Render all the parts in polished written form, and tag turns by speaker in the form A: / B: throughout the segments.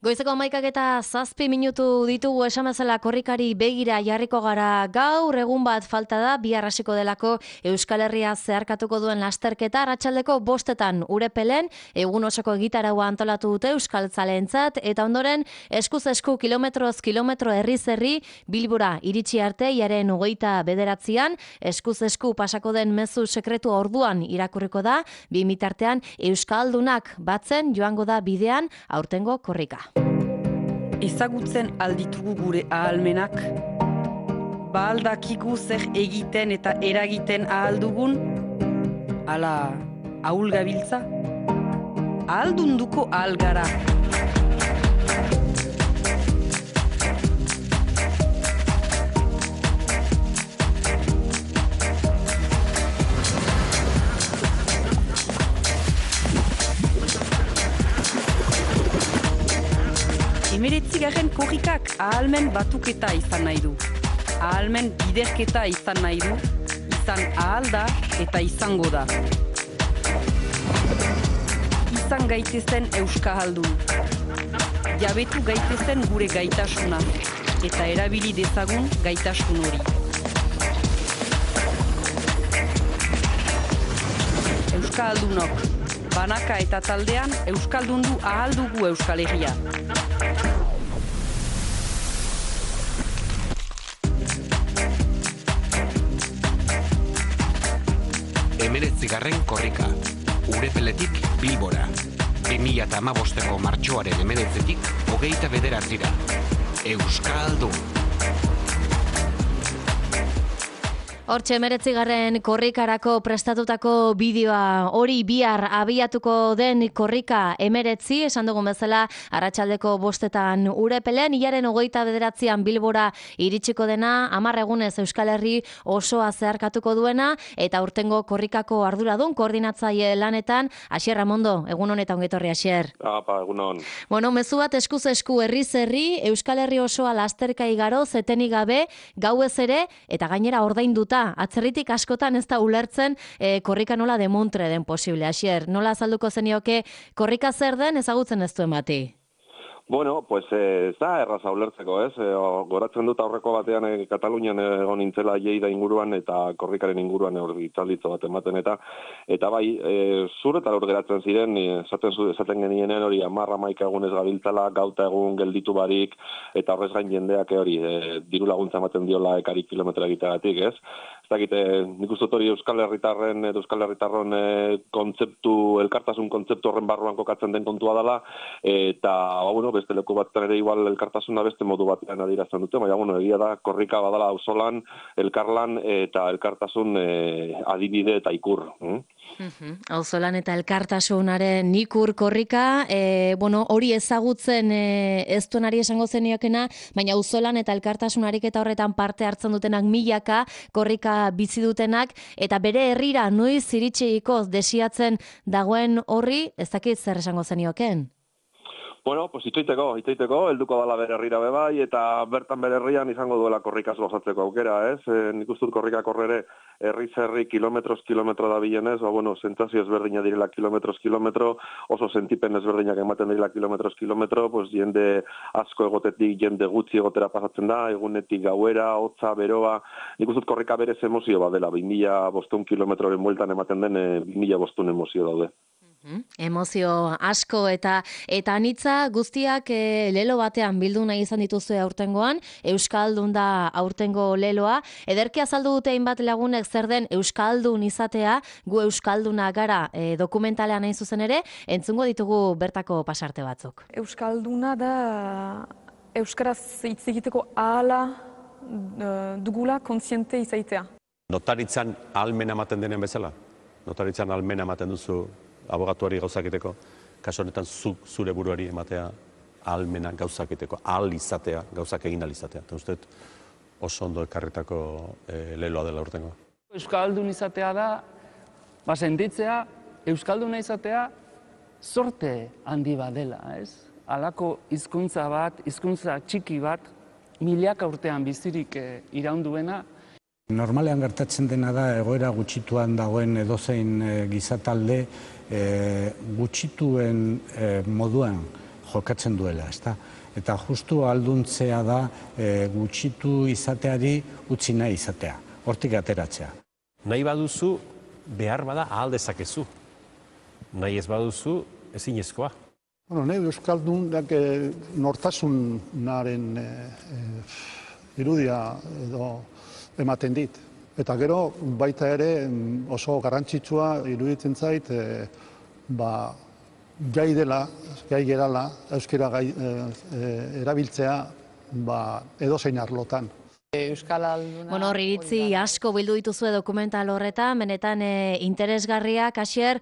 A: Goizeko 11:07 ditugu esan bezala korrikari begira jarriko gara. Gaur egun bat falta da, bihar hasiko delako Euskal Herria zeharkatuko duen lasterketa. Arratsaldeko 5:00 Urepelen egun osoko egitaraua antolatu dute euskaltzaleentzat eta ondoren eskuz esku kilometroz kilometro herriz herri Bilbora iritsi arte hilaren 29an eskuz esku pasako den mezu sekretu orduan irakurriko da. Bi mitartean euskaldunak batzen joango da bidean aurtengo korrika.
B: Ezagutzen alditugu gure ahalmenak, aldakigu zer egiten eta eragiten ahaldugun, ala ahul gabiltza, ahaldunduko ahal gara. Emeretzigarren korrikak ahalmen batuketa izan nahi du. Ahalmen biderketa izan nahi du, izan ahal da eta izango da. Izan gaitezen euskahaldun. Jabetu gaitezen gure gaitasuna eta erabili dezagun gaitasun hori. Euskahaldunok, banaka eta taldean euskaldundu ahal dugu Euskal Herria.
C: Emeretzigarren korrika, Urepeletik Bilbora. 2015ko martxoaren 19-tik 29-ra. Euskaldun.
A: Hortxe 19. korrikarako prestatutako bideoa, hori bihar abiatuko den korrika 19, esan dugun bezala arratsaldeko 5:00 Urepelen, hilaren 29an Bilbora iritsiko dena, 10 egunez Euskal Herri osoa zeharkatuko duena, eta urtengo korrikako arduradun koordinatzaile lanetan, Asier Ramondo, egun honetan ongetorri Asier.
D: Egunon.
A: Bueno, mezu bat eskuz esku herriz herri, Euskal Herri osoa lasterka igaro, zetenik gabe, gauez ere, eta gainera ordainduta. Atzerritik askotan ez da ulertzen korrika nola demontre den posible. Asier, nola azalduko zenioke korrika zer den ezagutzen ez duen bati?
D: Bueno, pues ez da erraza ulertzeko, ez? Goratzen dut aurreko batean Katalunian egon nintzela Lleida inguruan eta korrikaren inguruan hitzalditzo bat ematen eta bai, zur eta lur geratzen ziren, esaten genienen hori 10-11 egunez gabiltzala, gauta egun gelditu barik, eta horrez gain jendeak hori diru laguntza ematen diola ekari kilometra egiteagatik, ez? Ez dakite, nik uste hori Euskal Herritarron kontzeptu, elkartasun kontzeptu horren barruan kokatzen den kontua dela, eta, bueno, beste leku bat ere igual elkartasuna beste modu batean adierazten dute, baina, bueno, egia da, korrika badala auzolan, elkarlan eta elkartasun adibide eta ikur.
A: Auzolan eta elkartasunaren ikur korrika, bueno, hori ezagutzen ez duenari esango zeniokena, baina auzolan eta elkartasunarik eta horretan parte hartzen dutenak milaka, korrika bizi dutenak, eta bere herrira noiz iritsiko desiatzen dagoen horri, ez dakit zer esango zenioken?
D: Bueno, pues itxoiteko, helduko dala bere herrira bebai, eta bertan bere herrian izango duela korrikaz gozatzeko aukera, ez? Nik uste dut korrikak horrere herriz herri kilometro da bilenez, bueno, sentsazio ezberdina direla kilometro, oso sentipen ezberdinak ematen direla kilometro, pues jende asko egotetik, jende gutxi egotera pasatzen da, egunetik gauera, hotza, beroa, nik uste dut korrika berez emozio bat dela, 2500 kilometroren bueltan ematen den 2500 emozio daude.
A: Emozio asko eta anitza guztiak lelo batean bildu nahi izan dituzue aurtengoan, Euskaldun da aurtengo leloa. Ederki azaldu dute hainbat lagunek zer den Euskaldun izatea, gu Euskalduna gara dokumentalean hain zuzen ere, entzungo ditugu bertako pasarte batzuk.
E: Euskalduna da euskaraz hitz egiteko ahala dugula kontziente izaitea.
F: Notaritzan ahalmena ematen denen bezala? Notaritzan ahalmena ematen duzu abogatuari gauzakiteko, kaso honetan zure buruari ematea ahalmena gauzakiteko, ahal izatea, gauzak egin ahal izatea. Eta uste oso ondo ekarritako leloa dela urtengoa.
G: Euskaldun izatea da, sentitzea, Euskalduna izatea, sorte handi bat dela, ez? Halako hizkuntza bat, hizkuntza txiki bat, milaka urtean bizirik iraunduena,
H: Normalean gertatzen dena da egoera gutxituan dagoen edozein gizatalde gutxituen moduan jokatzen duela, ezta? Eta justu ahalduntzea da gutxitu izateari utzi nahi izatea, hortik ateratzea.
F: Nahi baduzu, behar bada ahal dezakezu. Nahi ez baduzu, ezinezkoa.
I: Nahi Euskaldunak nortasunaren irudia edo ematen dit. Eta gero baita ere oso garrantzitsua iruditzen zait gai gerala euskara erabiltzea edozein arlotan.
A: Bueno, iritzi asko bildu dituzue dokumental horretan, benetan interesgarriak, Asier,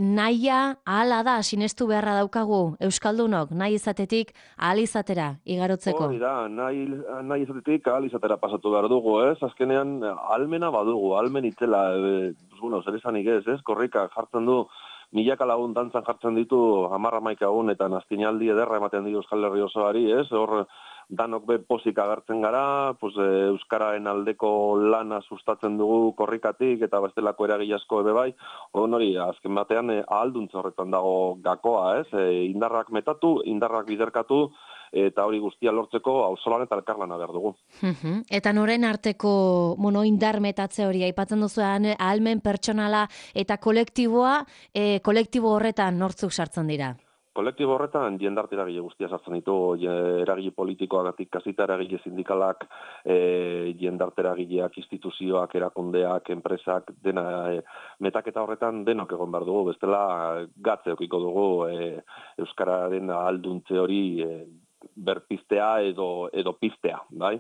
A: nahia ahala da, sinestu beharra daukagu Euskaldunok, nahi izatetik ahal izatera igarotzeko.
D: Hori da, nahi izatetik ahal izatera pasatu behar dugu, ez? Azkenean, ahalmena badugu, ahalmen itzela, zer esanik ez? Korrika jartzen du, milaka lagun dantzan jartzen ditu 10-11 egun eta nastinaldi ederra ematen ditu Euskal Herri osoari, ez? Hor danok be pozik agertzen gara, euskararen aldeko lana sustatzen dugu korrikatik eta bestelako eragile asko ere bai. Hori, azken batean ahalduntza horretan dago gakoa, ez? Indarrak metatu, indarrak biderkatu, eta hori guztia lortzeko auzolan eta elkarlana behar dugu.
A: Eta noren arteko indar metatze hori, aipatzen duzuan ahalmen pertsonala eta kolektiboa, kolektibo horretan nortzuk sartzen dira?
D: Kolektibo horretan jendarte eragile guztia sartzen ditu, eragile politikoagatik hasita eragile sindikalak, jendarte eragileak, instituzioak, erakundeak, enpresak, dena metaketa horretan denok egon behar dugu, bestela gatze okiko dugu euskararen ahalduntze hori berpiztea edo piztea, bai?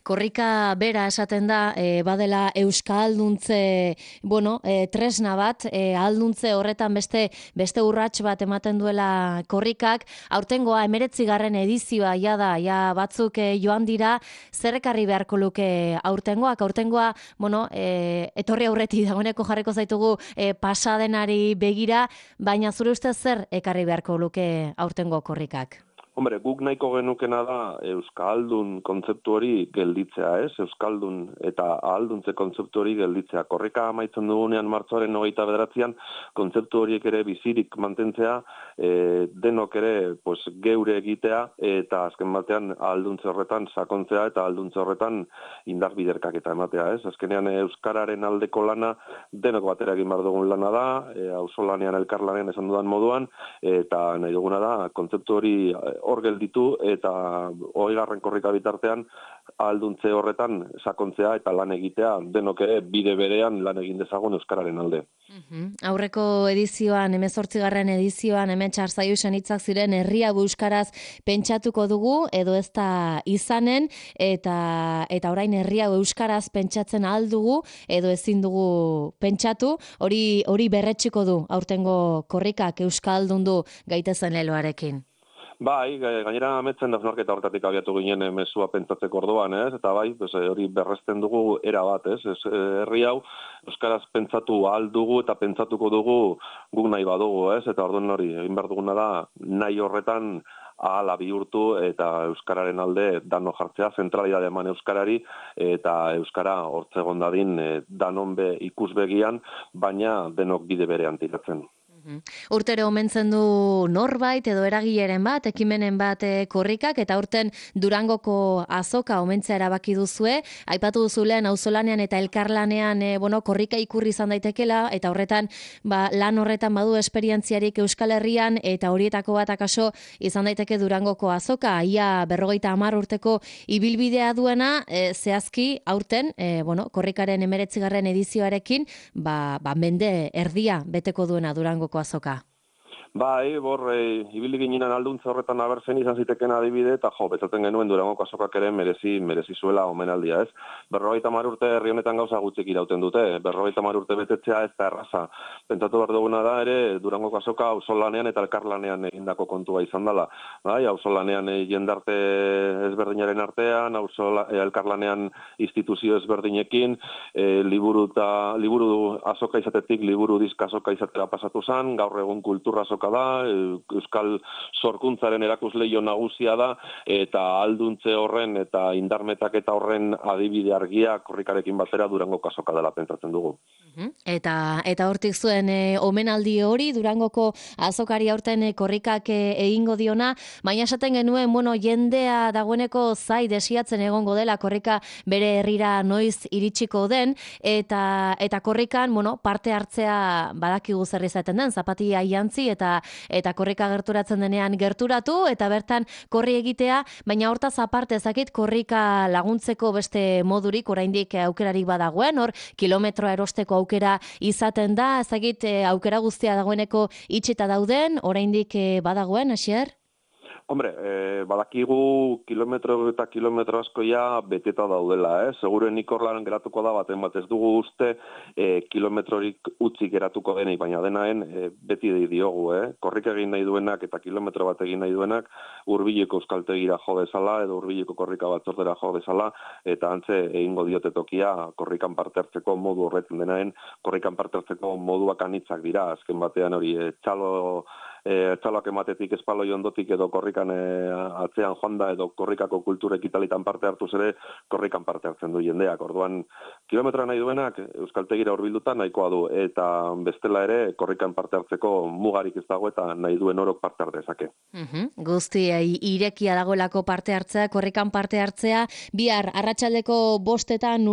A: Korrika bera esaten da, badela euskalduntze, tresna bat, ahalduntze horretan beste urrats bat ematen duela korrikak. Aurtengoa 19. edizioa ja batzuk joan dira, zer ekarri beharko luke aurtengoak? Aurtengoa, etorri aurretik dagoeneko jarriko zaitugu pasadenari begira, baina zure ustez zer ekarri beharko luke aurtengo korrikak?
D: Hombre, guk nahiko genukena da euskaldun kontzeptu hori gelditzea, ez? Euskaldun eta ahalduntze kontzeptu hori gelditzea. Korrika amaitzen dugunean martxoaren 29an kontzeptu horiek ere bizirik mantentzea, denok ere geure egitea eta azken batean ahalduntze horretan sakontzea eta ahalduntze horretan indar biderkaketa ematea, ez? Azkenean euskararen aldeko lana denok batera egin behar dugun lana da, auzolanean elkarlanean esan dudan moduan, eta nahi duguna da kontzeptu hori hor gelditu eta 20. korrika bitartean ahalduntze horretan sakontzea eta lan egitea denok ere bide berean lan egin dezagun euskararen alde.
A: Aurreko edizioan, 18. edizioan, hemen Txarzaiusen hitzak ziren herria euskaraz pentsatuko dugu edo ez da izanen eta orain herria euskaraz pentsatzen ahal dugu edo ezin dugu pentsatu, hori berretsiko du aurtengo korrikak euskaldundu gaitezen leloarekin.
D: Bai, gainera ametzen da hausnarketa horretatik abiatu ginen mezua pentsatzeko orduan, ez? Eta bai, hori berresten dugu era bat, ez? Herri hau euskaraz pentsatu ahal dugu eta pentsatuko dugu guk nahi badugu, ez? Eta orduan hori egin behar duguna da nahi horretan ahala bihurtu eta euskararen alde dano jartzea, zentralidade eman euskarari eta euskara hortzegon dadin danon ikusbegian, baina denok bide berean tiratzen.
A: Urtero omentzen du norbait edo eragileren bat, ekimenen bat korrikak, eta urten Durangoko azoka omentzea erabaki duzue. Aipatu duzulean auzolanean eta elkarlanean korrika ikurri izan daitekela, eta horretan lan horretan badu esperientziarik Euskal Herrian, eta horietako bat akaso izan daiteke Durangoko azoka, ia 50 urteko ibilbidea duena, zehazki aurten, korrikaren 19. edizioarekin, mende erdia beteko duena Durangoko azoka.
D: Bai, ibili ginen ahalduntza horretan abertzen izan ziteken adibide, eta betzaten genuen Durangoko azokak ere merezi zuela omenaldia, ez? 50 urte herri honetan gauza gutxik irauten dute, 50 urte betetzea ez da erraza. Pentsatu behar duguna da ere Durangoko azoka auzolanean eta elkarlanean egindako kontua izan dela. Bai, auzolanean jendarte ezberdinaren artean, elkarlanean instituzio ezberdinekin, liburu azoka izatetik liburu diska azoka izatera pasatu zen, gaur egun kultura azoka kasoka da, euskal sorkuntzaren erakusleio nagusia da, eta alduntze horren eta indarmetaketa horren adibide argia korrikarekin batera Durango kasoka dela pentsatzen dugu.
A: Eta hortik zuen omenaldi hori, Durangoko azokari aurten korrikak egingo diona, baina esaten genuen, jendea dagoeneko zai desiatzen egongo dela korrika bere herrira noiz iritsiko den, eta korrikan, parte hartzea badakigu zer izaten den, zapatia jantzi eta korrika gerturatzen denean gerturatu, eta bertan korri egitea, baina hortaz aparte ezakit korrika laguntzeko beste modurik, oraindik aukerarik badagoen, hor kilometroa erosteko aukera izaten da, ezagit aukera guztia dagoeneko itxita dauden, oraindik badagoen, Asier?
D: Hombre, badakigu kilometro eta kilometro askoia beteta daudela, Segurenik horlan geratuko da baten bat ez dugu uste kilometrorik utzi geratuko denik, baina denaen beti diogu, Korrika egin nahi duenak eta kilometro bat egin nahi duenak hurbileko euskaltegira jo dezala edo hurbileko korrika batzordera jo dezala, eta antze egingo diote tokia korrikan parte hartzeko modu horretzen denaen, korrikan parte hartzeko moduak anitzak dira, azken batean hori txaloak ematetik espaloi ondotik edo korrikan atzean joan da edo korrikako kulturek italitan parte hartuz ere korrikan parte hartzen du jendeak. Orduan, kilometroa nahi duenak euskaltegira hurbilduta nahikoa du eta bestela ere korrikan parte hartzeko mugarik ez dago eta nahi duen orok parte har dezake.
A: Guzti irekia dagoelako parte hartzea, korrikan parte hartzea, bihar arratsaldeko 5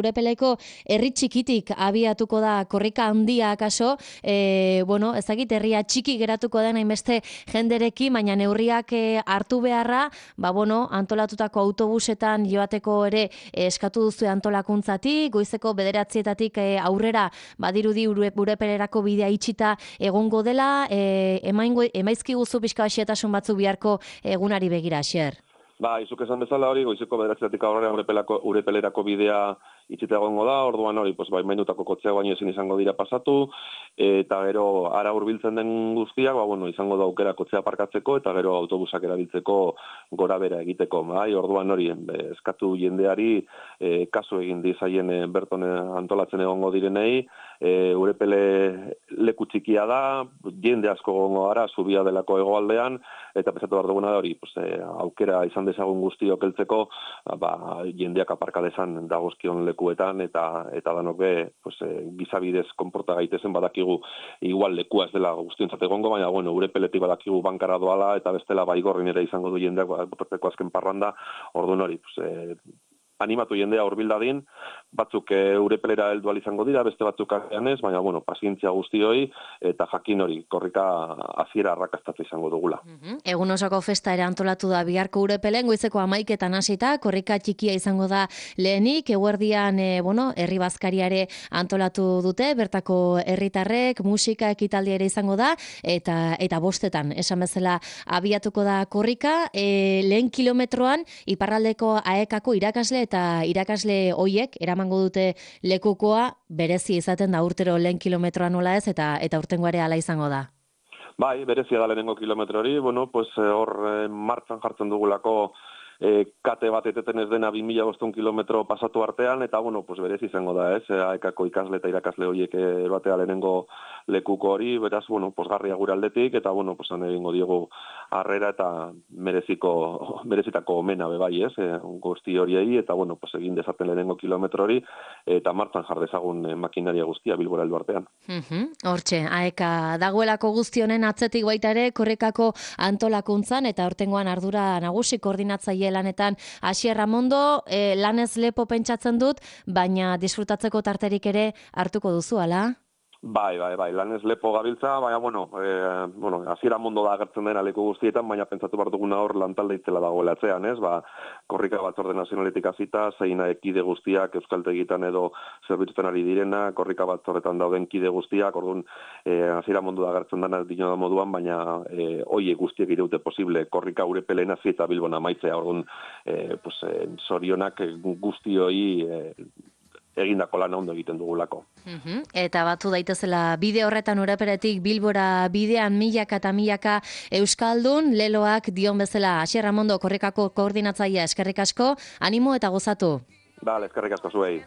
A: Urepeleko herri txikitik abiatuko da korrika handia akaso, ezagit herria txiki geratuko den hainbeste jenderekin, baina neurriak hartu beharra, antolatutako autobusetan joateko ere eskatu duzu antolakuntzatik, goizeko 9:00 aurrera badirudi Urepelerako bidea itxita egongo dela, emaizkiguzu pixka xehetasun batzuk biharko egunari begira, Asier.
D: Izuk esan bezala hori, goizeko 9:00 aurrera Urepelerako bidea itxita egongo da, orduan hori, baimendutako kotxeak baino ezin izango dira pasatu, eta gero ara hurbiltzen den guztiak, izango da aukera kotxea parkatzeko, eta gero autobusak erabiltzeko gora bera egiteko. Orduan hori, eskatu jendeari kasu egin dizaien berton antolatzen egongo direnei, Urepele leku txikia da, jende asko egongo gara, zubia delako hegoaldean, eta pesatu behar duguna da hori, aukera izan dezagun guztiok heltzeko, jendeak aparka dezan dagozkion lekuetan eta danok be gizabidez konporta gaitezen badakigu igual lekua ez dela guztiontzat egongo, baina Urepeletik badakigu bankara doala eta bestela baigorrin ere izango du jendeak botatzeko azken parranda, orduan hori animatu jendea hurbildadin, batzuk Urepelera heldu ahal izango dira, beste batzuk agian ez, baina pazientzia guztioi eta jakin hori korrika hasiera arrakastatza izango dugula.
A: Egun osoko festa ere antolatu da biharko Urepelen, goizeko 11:00 hasita, korrika txikia izango da lehenik, eguerdian herri bazkariare antolatu dute, bertako herritarrek, musika ekitaldia ere izango da, eta 5:00 esan bezala abiatuko da korrika, lehen kilometroan iparraldeko AEKako irakasle hoiek eramango dute lekukoa, berezi izaten da urtero lehen kilometroa nola ez, eta urtengo ere hala izango da.
D: Berezia da lehenengo kilometro hori, hor martxan jartzen dugulako kate bat eteten ez dena 2500 kilometro pasatu artean, eta berez izango da, AEKako ikasle eta irakasle horiek batea lehenengo lekuko hori, beraz, posgarria gure aldetik, eta, han egingo diogu harrera eta merezitako omena bebai, guzti horiei, eta, egin dezaten lehenengo kilometro hori, eta martzan jar dezagun makinaria guztia Bilbora heldu artean.
A: Hortxe, AEK dagoelako guzti honen atzetik baita ere, korrekako antolakuntzan, eta hortengoan ardura nagusi koordinatzaile lanetan Asier Ramondo, lanez lepo pentsatzen dut, baina disfrutatzeko tarterik ere hartuko duzu, ala?
D: Bai, lanez lepo gabiltza, baina, Asier Ramondo da agertzen dena leku guztietan, baina pentsatu behar duguna hor lantalde itzela dagoela atzean, korrika batzorde nazionaletik hasita, zein kide guztiak euskaltegitan edo zerbitzutan ari direna, korrika batzordetan dauden kide guztiak, orduan Asier Ramondo da agertzen dena dino da moduan, baina hoiek guztiek iraute posible, korrika Urepelen hasi eta Bilbon amaitzea, orduan zorionak guzti hoi egindako lan ondo egiten dugulako.
A: Eta batu daitezela bide horretan Urepeletik Bilbora bidean milaka eta milaka euskaldun, leloak dion bezala. Asier Ramondo korrikako koordinatzailea, eskerrik asko, animo eta gozatu.
D: Eskerrik asko zuei.